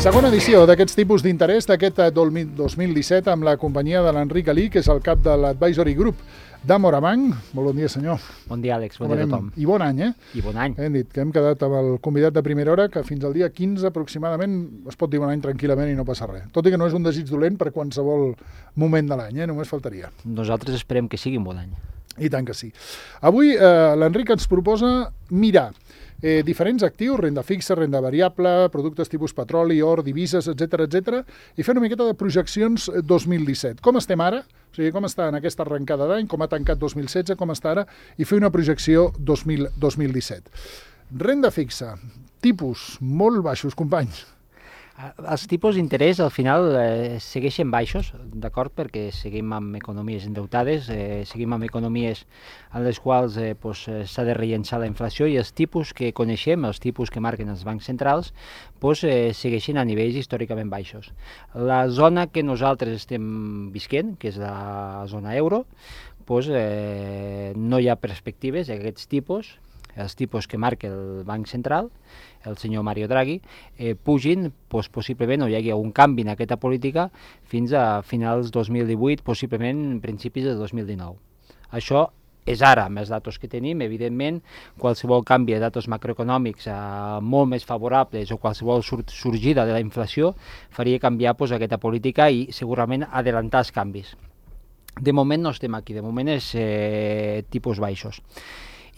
Segona edició d'aquests tipus d'interès d'aquest 2017 amb la companyia de l'Enric Alí, que és el cap de l'Advisory Group de Morabanc. Molt bon dia, senyor. Bon dia, Àlex. Bon dia a tothom. I bon any, I bon any. Hem dit que hem quedat amb el convidat de primera hora que fins al dia 15 aproximadament es pot dir bon any tranquil·lament i no passa res. Tot i que no és un desig dolent per qualsevol moment de l'any, només faltaria. Nosaltres esperem que sigui un bon any. I tant que sí. Avui l'Enric ens proposa mirar diferents actius, renda fixa, renda variable, productes tipus petroli, or, divises, etc, i fer una miqueta de projeccions 2017. Com estem ara? O sigui, com està en aquesta arrencada d'any, com ha tancat 2016, com està ara, i fer una projecció 2017. Renda fixa, tipus molt baixos, companys. Els tipus d'interès al final segueixen baixos, d'acord, perquè seguim amb economies endeutades, seguim amb economies en les quals s'ha de rellençar la inflació, i els tipus que coneixem, els tipus que marquen els bancs centrals, segueixen a nivells històricament baixos. La zona que nosaltres estem visquent, que és la zona euro, no hi ha perspectives d'aquests tipus, els tipus que marca el Banc Central, el senyor Mario Draghi, pugin, possiblement, o hi hagi un canvi en aquesta política fins a finals 2018, possiblement principis de 2019. Això és ara, amb els datos que tenim. Evidentment, qualsevol canvi de datos macroeconòmics molt més favorables o qualsevol sorgida de la inflació faria canviar aquesta política i segurament adelantar els canvis. De moment no estem aquí, de moment és tipus baixos.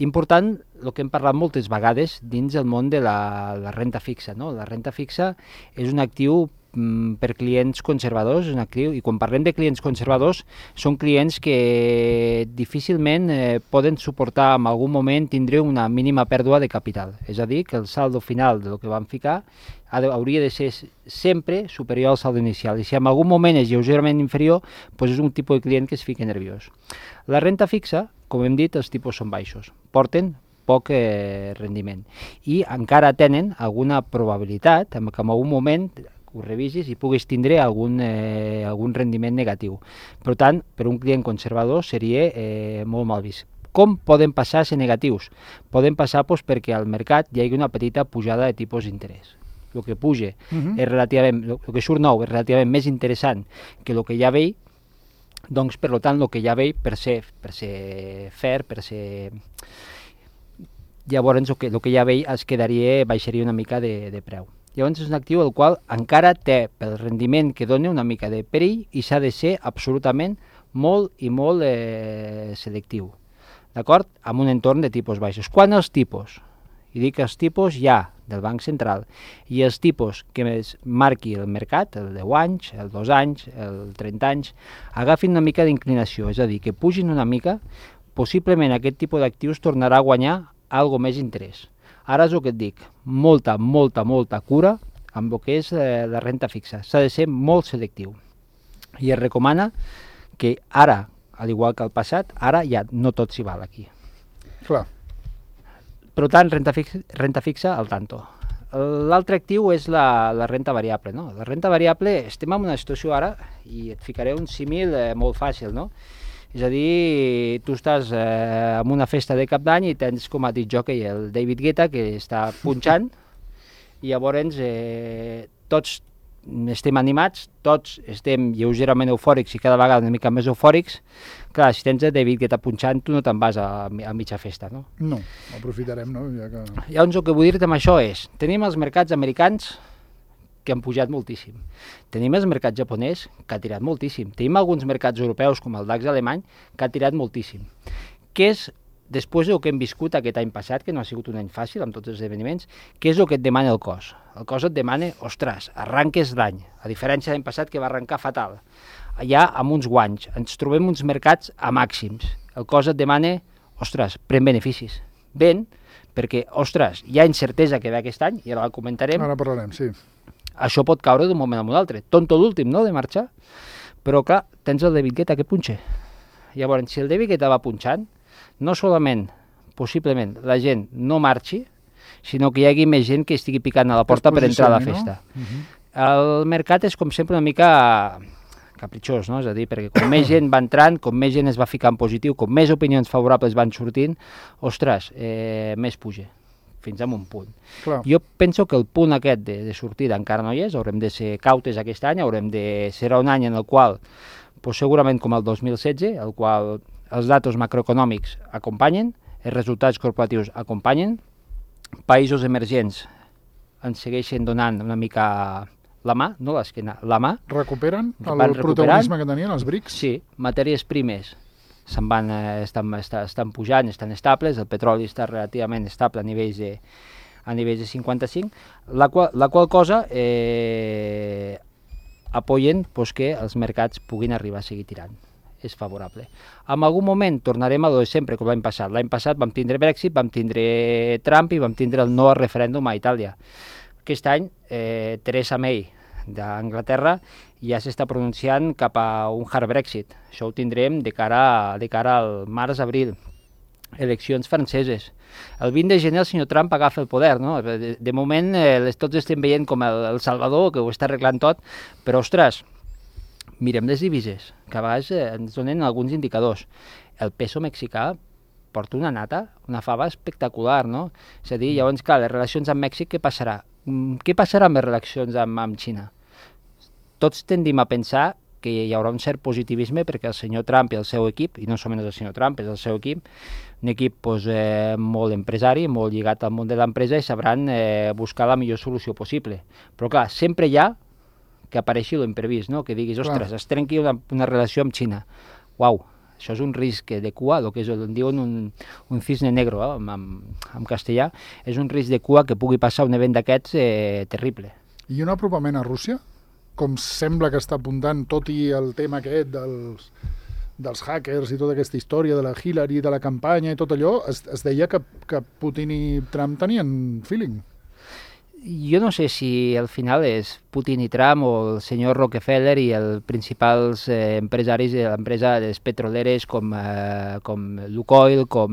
Important, el que hem parlat moltes vegades dins el món de la renta fixa, no? La renta fixa és un actiu per clients conservadors, i quan parlem de clients conservadors són clients que difícilment poden suportar en algun moment tindre una mínima pèrdua de capital, és a dir, que el saldo final del que van ficar hauria de ser sempre superior al saldo inicial, i si en algun moment és lleugerament inferior, és un tipus de client que es fica nerviós. La renta fixa, com hem dit, els tipus són baixos, porten poc rendiment i encara tenen alguna probabilitat que en algun moment ho revisis i puguis tindre algun rendiment negatiu. Per tant, per un client conservador seria molt mal vist. Com poden passar a ser negatius? Poden passar perquè al mercat hi hagi una petita pujada de tipus d'interès. El que puja és relativament, el que surt nou és relativament més interessant que el que ja veig, doncs, per tant, el que ja veig, per ser fair, per ser... Llavors, el que ja veig baixaria una mica de preu. Llavors, és un actiu el qual encara té, pel rendiment que dona, una mica de perill i s'ha de ser absolutament molt i molt selectiu. D'acord? Amb un entorn de tipus baixos. Quan els tipus, i dic els tipus ja del Banc Central, i els tipus que marqui el mercat, el 10 anys, el 2 anys, el 30 anys, agafin una mica d'inclinació, és a dir, que pugin una mica, possiblement aquest tipus d'actius tornarà a guanyar algo més interès. Ara és el que et dic, molta cura amb el que és la renta fixa. S'ha de ser molt selectiu. I es recomana que ara, al igual que al passat, ara ja no tot s'hi val aquí. Clar. Per tant, renta fixa al tanto. L'altre actiu és la renta variable, no? La renta variable, estem en una situació ara, i et ficaré un símil molt fàcil, no? És a dir, tu estàs en una festa de cap d'any i tens, com ha dit Jockey, el David Guetta, que està punxant, i llavors tots estem animats, tots estem lleugerament eufòrics i cada vegada una mica més eufòrics. Clar, si tens el David Guetta punxant, tu no te'n vas a mitja festa, no? No, aprofitarem, no? Llavors, el que vull dir-te amb això és, tenim els mercats americans que han pujat moltíssim. Tenim els mercats japonès que ha tirat moltíssim. Tenim alguns mercats europeus, com el DAX alemany, que ha tirat moltíssim. Què és, després del que hem viscut aquest any passat, que no ha sigut un any fàcil amb tots els esdeveniments, què és el que et demana el cos? El cos et demana, ostres, arranques l'any, a diferència de l'any passat que va arrencar fatal. Allà, amb uns guanys, ens trobem uns mercats a màxims. El cos et demana, ostres, pren beneficis. Ben, perquè, ostres, hi ha incertesa que ve aquest any, i ara la comentarem. Ara parlarem, sí. Això pot caure d'un moment a un altre. Tonto l'últim, no?, de marxar. Però, clar, tens el David Guetta que punxa. Llavors, si el David Guetta va punxant, no solament, possiblement, la gent no marxi, sinó que hi hagi més gent que estigui picant a la porta per entrar a la festa. No? El mercat és, com sempre, una mica capritxós, no? És a dir, perquè com més gent va entrant, com més gent es va ficar en positiu, com més opinions favorables van sortint, ostres, més puja. fins a un punt. Clar. Jo penso que el punt aquest de sortida encara no hi és, haurem de ser cautes aquest any, serà un any en el qual, doncs segurament com el 2016, el qual els datos macroeconòmics acompanyen, els resultats corporatius acompanyen, països emergents ens segueixen donant una mica la mà, no l'esquena, la mà. Recuperen el protagonisme que tenien els BRICS? Sí, matèries primes se'n van, estan pujant, estan estables, el petroli està relativament estable a nivells de 55, la qual cosa apoyen que els mercats puguin arribar a seguir tirant. És favorable. En algun moment tornarem a lo de sempre, com l'any passat. L'any passat vam tindre Brexit, vam tindre Trump i vam tindre el no al referèndum a Itàlia. Aquest any, Theresa May d'Anglaterra ja s'està pronunciant cap a un hard Brexit. Això ho tindrem de cara al març-abril. Eleccions franceses. El 20 de gener el senyor Trump agafa el poder, no? De moment tots estem veient com el Salvador, que ho està arreglant tot, però, ostres, mirem les divises, que a vegades ens donen alguns indicadors. El peso mexicà porta una nata, una fava espectacular, no? És a dir, llavors, clar, les relacions amb Mèxic, què passarà? Què passarà amb les relacions amb Xina? Tots tendim a pensar que hi haurà un cert positivisme perquè el senyor Trump i el seu equip, i no només el senyor Trump, és el seu equip, un equip molt empresari, molt lligat al món de l'empresa i sabran buscar la millor solució possible. Però clar, sempre hi ha que apareixi l'imprevist, no? Que diguis, ostres, es trenqui una relació amb Xina. Uau, això és un risc de cua, el que en diuen un cisne negro, en castellà, és un risc de cua que pugui passar un event d'aquests terrible. I un apropament a Rússia? Com sembla que està apuntant, tot i el tema aquest dels hackers i tota aquesta història de la Hillary, de la campanya i tot allò, es deia que Putin i Trump tenien feeling. Jo no sé si al final és Putin i Trump o el senyor Rockefeller i els principals empresaris de l'empresa de les petroleres com Lukoil, com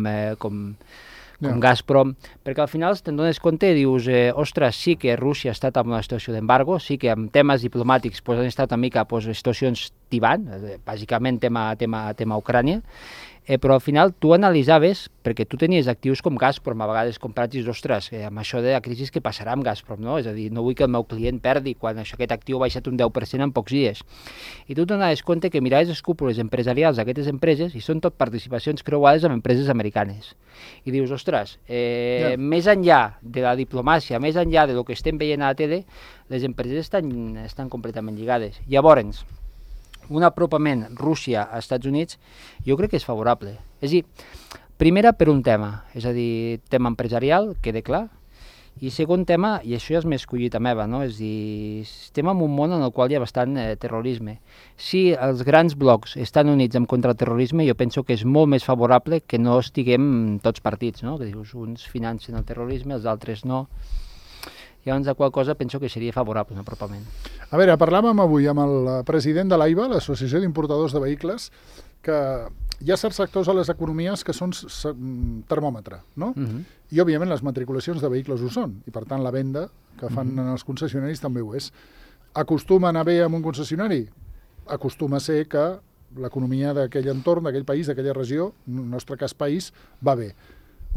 Gazprom, perquè al final te'n dones compte i dius, ostres, sí que Rússia ha estat en una situació d'embargo, sí que en temes diplomàtics han estat una mica situacions tibant, bàsicament tema Ucrània, però al final tu analitzaves, perquè tu tenies actius com Gazprom, a vegades comprats i dius, ostres, amb això de la crisi què passarà amb Gazprom, no? És a dir, no vull que el meu client perdi quan aquest actiu ha baixat un 10% en pocs dies. I tu t'anaves compte que miraves els cúpules empresarials d'aquestes empreses i són tot participacions creuades amb empreses americanes. I dius, ostres, més enllà de la diplomàcia, més enllà del que estem veient a la tele, les empreses estan completament lligades. Llavors, un apropament Rússia a Estats Units jo crec que és favorable. És a dir, primera per un tema, és a dir, tema empresarial, queda clar, i segon tema, i això ja és més collita meva, no? És a dir, estem en un món en el qual hi ha bastant terrorisme. Si els grans blocs estan units en contra del terrorisme, jo penso que és molt més favorable que no estiguem tots partits, no? Que dius, uns financen el terrorisme, els altres no. Llavors, de qual cosa penso que seria favorable un apropament. A veure, parlàvem avui amb el president de l'AIVA, l'Associació d'Importadors de Vehicles, que hi ha certs sectors a les economies que són termòmetre, no? I, òbviament, les matriculacions de vehicles ho són, i, per tant, la venda que fan en els concessionaris també ho és. Acostuma a anar bé amb un concessionari? Acostuma a ser que l'economia d'aquell entorn, d'aquell país, d'aquella regió, en el nostre cas país, va bé.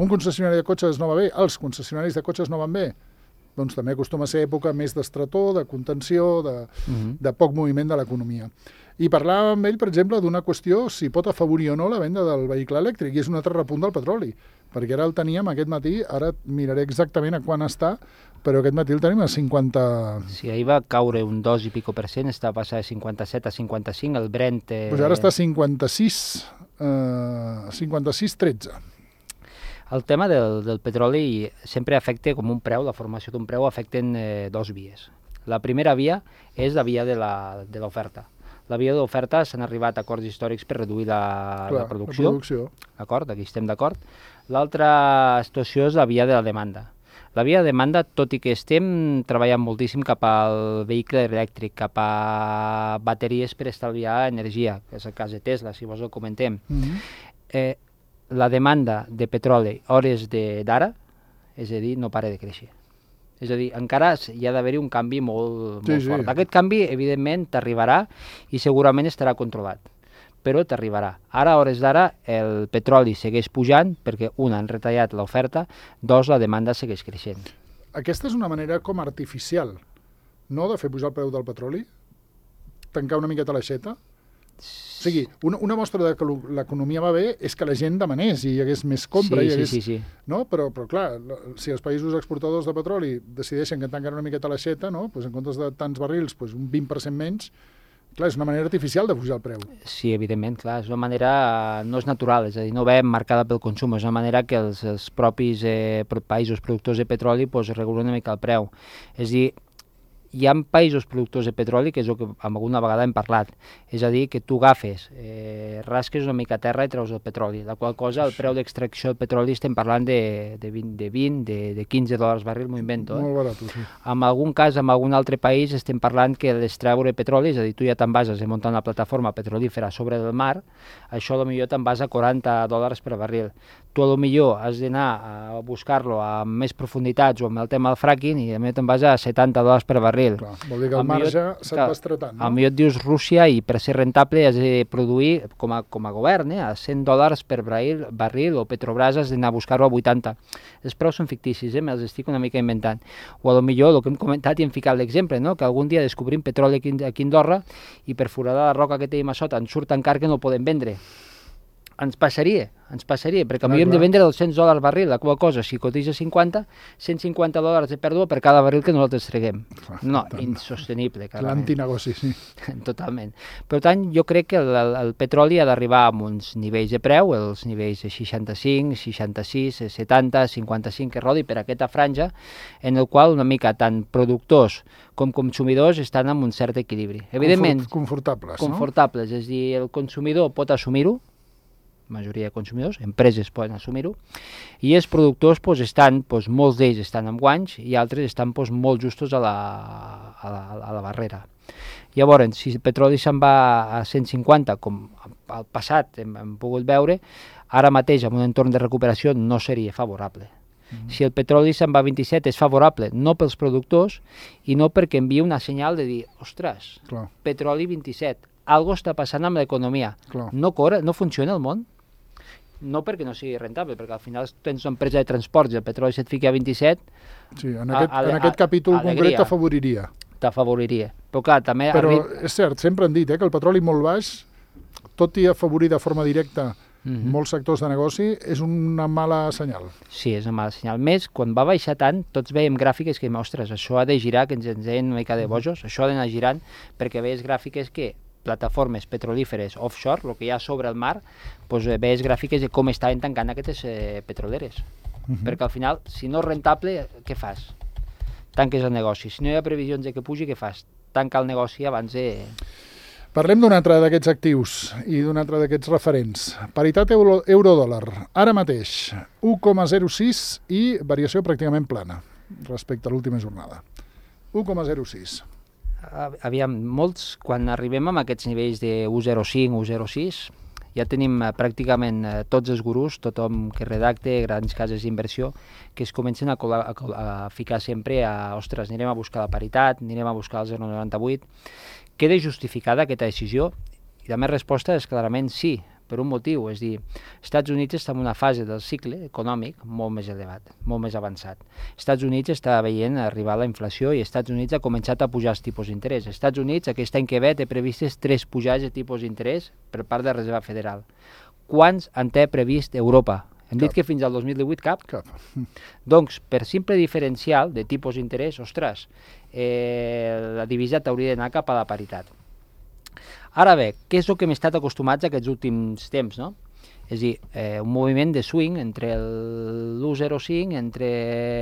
Un concessionari de cotxes no va bé? Els concessionaris de cotxes no van bé? Doncs també acostuma a ser època més d'estretor, de contenció, de poc moviment de l'economia. I parlàvem amb ell, per exemple, d'una qüestió si pot afavorir o no la venda del vehicle elèctric, i és un altre repunt del petroli, perquè ara el teníem aquest matí, ara miraré exactament a quan està, però aquest matí el tenim a 50... Sí, ahir va caure un 2 i pico %, està passant de 57 a 55, el Brent... Doncs ara està a 56,13. El tema del petroli sempre afecta com un preu, la formació d'un preu afecten dos vies. La primera via és la via de l'oferta. La via de l'oferta s'han arribat a acords històrics per reduir la producció. D'acord, aquí estem d'acord. L'altra situació és la via de la demanda. La via de demanda, tot i que estem treballant moltíssim cap al vehicle elèctric, cap a bateries per estalviar energia, que és el cas de Tesla, si vols el comentem, la demanda de petroli hores d'ara, és a dir, no para de créixer. És a dir, encara hi ha d'haver-hi un canvi molt fort. Aquest canvi, evidentment, t'arribarà i segurament estarà controlat. però t'arribarà. Ara, a hores d'ara, el petroli segueix pujant perquè, un, han retallat l'oferta, dos, la demanda segueix creixent. Aquesta és una manera com artificial, no?, de fer pujar el preu del petroli? Tancar una miqueta l'aixeta? O sigui, una mostra de que l'economia va bé és que la gent demanés i hi hagués més compra. Sí. No? Però clar, si els països exportadors de petroli decideixen que tanquen una miqueta l'aixeta, no? Pues en comptes de tants barrils, pues un 20% menys, clar, és una manera artificial de pujar el preu. Sí, evidentment, clar, és una manera, no és natural, és a dir, no ve marcada pel consum, és una manera que els propis països productors de petroli pues, regulen una mica el preu. És a dir, hi ha països productors de petroli, que és el que alguna vegada hem parlat, és a dir, que tu agafes, rasques una mica a terra i treus el petroli, la qual cosa el preu d'extracció del petroli estem parlant de 20, de 15 dòlars barril, m'ho invento. Molt barat, sí. En algun cas, en algun altre país, estem parlant que l'extreure petroli, és a dir, tu ja te'n bases a muntar una plataforma petrolífera sobre el mar, això potser te'n vas a 40 dòlars per barril. Tu potser has d'anar a buscar-lo a més profunditats o amb el tema del fracking i potser te'n vas a 70 dòlars per barril. Clar, vol dir que el marge se't va estretant, no? Potser et dius Rússia i per ser rentable has de produir, com a govern, a 100 dòlars per barril o Petrobras has d'anar a buscar-ho a 80. Els preus són ficticis, me'ls estic una mica inventant. O potser el que hem comentat i hem ficat l'exemple, no? Que algun dia descobrim petroli aquí a Andorra i per foradar la roca que tenim a sota ens surt tan car que no el podem vendre. Ens passaria, perquè hem de vendre 200 dòlars barril, la qual cosa, si cotitza 50, 150 dòlars de pèrdua per cada barril que nosaltres treguem. No, insostenible. L'antinegoci, sí. Totalment. Per tant, jo crec que el petroli ha d'arribar a uns nivells de preu, els nivells de 65, 66, 70, 55, que rodi per aquesta franja, en el qual una mica tant productors com consumidors estan en un cert equilibri. Evidentment, confortables, no? Confortables, és a dir, el consumidor pot assumir-ho, majoria de consumidors, empreses poden assumir-ho, i els productors estan, molts d'ells estan amb guanys i altres estan molt justos a la barrera. Llavors, si el petroli se'n va a 150, com al passat hem pogut veure, ara mateix en un entorn de recuperació no seria favorable. Si el petroli se'n va a 27 és favorable, no pels productors i no perquè envia una senyal de dir, ostres, petroli 27, algo està passant amb l'economia. No corre, no funciona el món. No perquè no sigui rentable, perquè al final tens una empresa de transports i el petroli se't fica a 27... Sí, en aquest capítol concret t'afavoriria. T'afavoriria. Però clar, també... Però és cert, sempre han dit que el petroli molt baix, tot i afavorir de forma directa molts sectors de negoci, és una mala senyal. Sí, és una mala senyal. Més, quan va baixar tant, tots veiem gràfiques que, ostres, això ha de girar, que ens deien una mica de bojos, això ha d'anar girant, perquè veies gràfiques que plataformes petrolíferes offshore, el que hi ha sobre el mar, veies gràfiques de com estaven tancant aquestes petroleres. Perquè al final, si no és rentable, què fas? Tanques el negoci. Si no hi ha previsions de que pugi, què fas? Tanca el negoci abans de... Parlem d'un altre d'aquests actius i d'un altre d'aquests referents. Paritat euro-dòlar. Ara mateix, 1,06 i variació pràcticament plana respecte a l'última jornada. 1,06. Aviam, molts, quan arribem a aquests nivells de 1,05, 1,06, ja tenim pràcticament tots els gurús, tothom que redacte, grans cases d'inversió, que es comencen a ficar sempre ostres, anirem a buscar la paritat, anirem a buscar el 0,98. Queda justificada aquesta decisió? I la meva resposta és clarament sí, per un motiu, és dir, Estats Units està en una fase del cicle econòmic molt més elevat, molt més avançat. Estats Units està veient arribar la inflació i Estats Units ha començat a pujar els tipus d'interès. Estats Units aquest any que ve té previstes 3 pujades de tipus d'interès per part de la Reserva Federal. Quants en té previst Europa? Hem dit que fins al 2018 cap? Cap. Doncs, per simple diferencial de tipus d'interès, ostres, la divisa t'hauria d'anar cap a la paritat. Ara bé, què és el que hem estat acostumats aquests últims temps, no? És a dir, un moviment de swing entre l'1,05 entre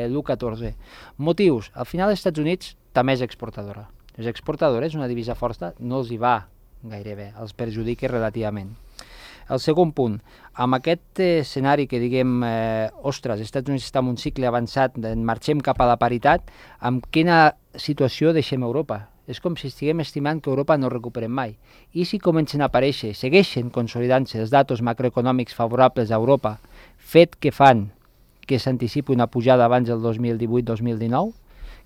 l'1,14. Motius, al final els Estats Units també és exportadora. Les exportadores, una divisa forta, no els hi va gaire bé, els perjudica relativament. El segon punt, amb aquest escenari que diguem, ostres, els Estats Units està en un cicle avançat, marxem cap a la paritat, amb quina situació deixem Europa? És com si estiguem estimant que Europa no recuperem mai. I si comencen a aparèixer, segueixen consolidant-se els datos macroeconòmics favorables a Europa, fet que fan que s'anticipi una pujada abans del 2018-2019,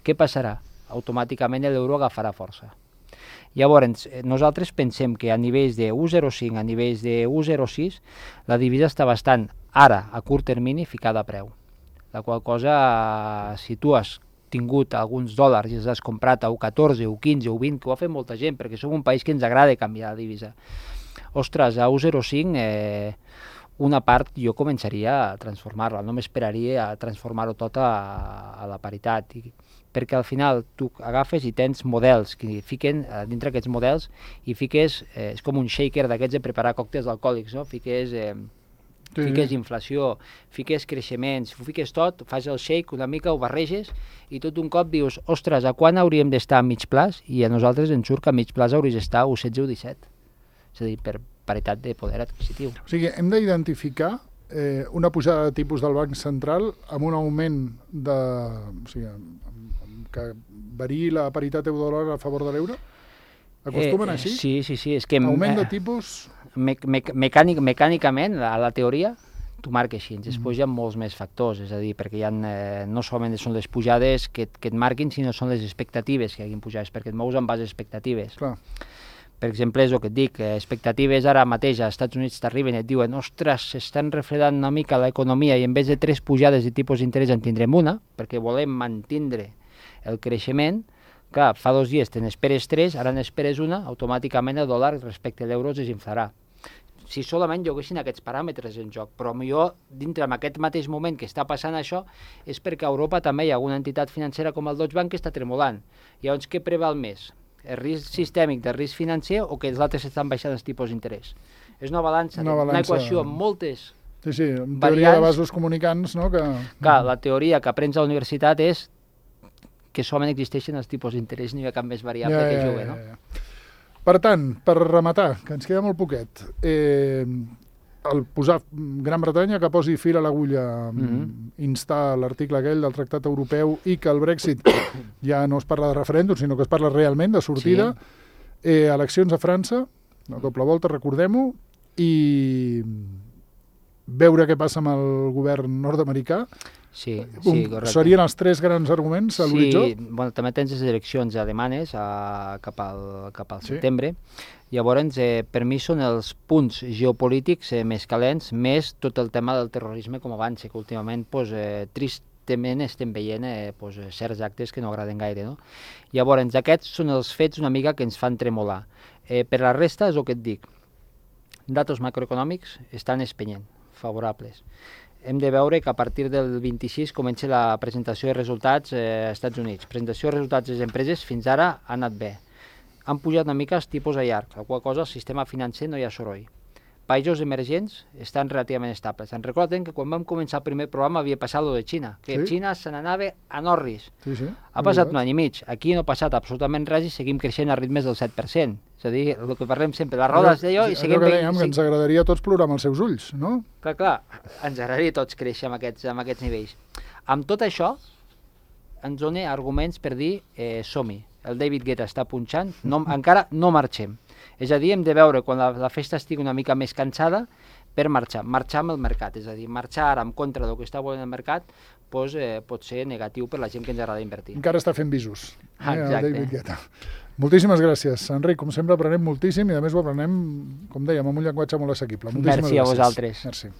què passarà? Automàticament l'euro agafarà força. Llavors, nosaltres pensem que a nivells de 1,05, a nivells de 1,06, la divisa està bastant, ara, a curt termini, ficada a preu. La qual cosa, si tu has tingut alguns dòlars i els has comprat a 1,14, 1,15, 1,20, que ho ha fet molta gent, perquè som un país que ens agrada canviar la divisa. Ostres, a 1,05 una part jo començaria a transformar-la, no m'esperaria a transformar-ho tot a la paritat, perquè al final tu agafes i tens models que fiquen dintre aquests models i fiques, és com un shaker d'aquests de preparar còctels alcohòlics, no? Fiques inflació, fiques creixements, ho fiques tot, fas el shake una mica, ho barreges i tot un cop dius, ostres, a quan hauríem d'estar a mig plaç? I a nosaltres ens surt que a mig plaç hauries d'estar a 1,16 o 17. És a dir, per paritat de poder adquisitiu. O sigui, hem d'identificar una pujada de tipus del Banc Central amb un augment de... O sigui, que variï la paritat euro-dòlar a favor de l'euro? Acostumen així? Sí. És que augment de tipus... Mecànicament, a la teoria, tu marques així. Després hi ha molts més factors, és a dir, perquè hi ha, no solament són les pujades que et marquin, sinó són les expectatives que hagin pujades, perquè et mous en base a expectatives. Clar. Per exemple, és el que et dic, expectatives ara mateix als Estats Units t'arriben i et diuen ostres, s'estan refredant una mica l'economia i en vez de 3 pujades de tipus d'interès en tindrem una, perquè volem mantindre el creixement. Clar, fa 2 dies te n'esperes 3, ara n'esperes una, automàticament el dòlar respecte a l'euro es desinflarà. Si solament hi haguessin aquests paràmetres en joc, però millor dintre en aquest mateix moment que està passant això és perquè a Europa també hi ha alguna entitat financera com el Deutsche Bank que està tremolant. Llavors, què preval més? El risc sistèmic del risc financer o que els altres estan baixant els tipus d'interès? És una balança, una equació amb moltes en teoria de vasos comunicants, no? Clar, la teoria que aprens a la universitat és que solament existeixen els tipus d'interès, no hi ha cap més variable que jugui, no? Per tant, per rematar, que ens queda molt poquet, el posar Gran Bretanya que posi fil a l'agulla, instar l'article aquell del Tractat Europeu i que el Brexit ja no es parla de referèndum, sinó que es parla realment de sortida, eleccions a França, la doble volta, recordem-ho, i veure què passa amb el govern nord-americà. Sí, correcte. Serien els 3 grans arguments a l'horitzó? Sí, bueno, també tens les eleccions alemanes cap al setembre. Llavors, per mi són els punts geopolítics més calents, més tot el tema del terrorisme com abans, que últimament, tristament, estem veient certs actes que no agraden gaire, no? Llavors, aquests són els fets una mica que ens fan tremolar. Per la resta, és el que et dic, datos macroeconòmics estan espenyent, favorables. Hem de veure que a partir del 26 comença la presentació de resultats als Estats Units. Presentació de resultats de les empreses fins ara ha anat bé. Han pujat una mica els tipus a llarg, la qual cosa al sistema financer no hi ha soroll. Països emergents estan relativament estables. Se'n recorden que quan vam començar el primer programa havia passat lo de Xina, que Xina se n'anava a Norris. Ha passat un any i mig. Aquí no ha passat absolutament res i seguim creixent a ritmes del 7%. És a dir, el que parlem sempre, les rodes d'allò i seguim... Allò que dèiem, que ens agradaria a tots plorar amb els seus ulls, no? Clar, ens agradaria a tots créixer amb aquests nivells. Amb tot això, ens dona arguments per dir som-hi. El David Guetta està punxant, encara no marxem. És a dir, hem de veure quan la festa estigui una mica més cansada per marxar amb el mercat. És a dir, marxar ara en contra del que està volent el mercat pot ser negatiu per la gent que ens agrada invertir. Encara està fent visos. Exacte. David Guetta. Moltíssimes gràcies, Enric. Com sempre aprenem moltíssim i a més ho aprenem, com dèiem, amb un llenguatge molt assequible. Merci a vosaltres. Merci.